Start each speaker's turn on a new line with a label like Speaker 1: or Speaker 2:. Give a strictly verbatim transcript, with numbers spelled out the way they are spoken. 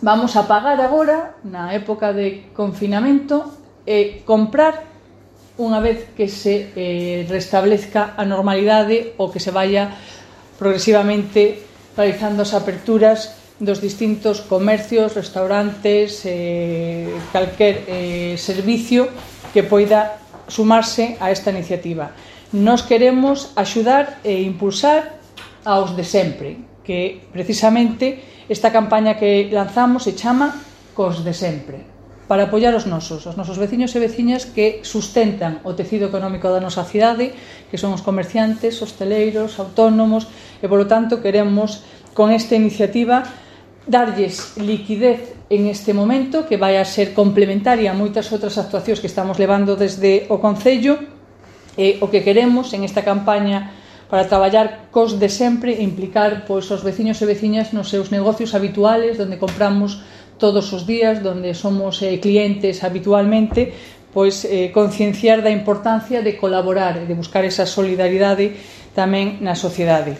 Speaker 1: vamos a pagar agora, na época de confinamento, e comprar unha vez que se eh, restablezca a normalidade ou que se vaya progresivamente realizando as aperturas dos distintos comercios, restaurantes, eh, calquer eh, servicio que poida sumarse a esta iniciativa. Nos queremos axudar e impulsar aos de sempre, que precisamente esta campaña que lanzamos se chama Cos de Sempre, para apoiar os nosos, os nosos veciños e veciñas que sustentan o tecido económico da nosa cidade, que son os comerciantes, hosteleiros, autónomos, e, polo tanto, queremos, con esta iniciativa, darlles liquidez en este momento, que vai a ser complementaria a moitas outras actuacións que estamos levando desde o Concello, e o que queremos en esta campaña para traballar cos de sempre e implicar pois, os veciños e veciñas nos seus negocios habituales, onde compramos todos os días, onde somos eh, clientes habitualmente, pois eh, concienciar da importancia de colaborar e de buscar esa solidaridade tamén na sociedade.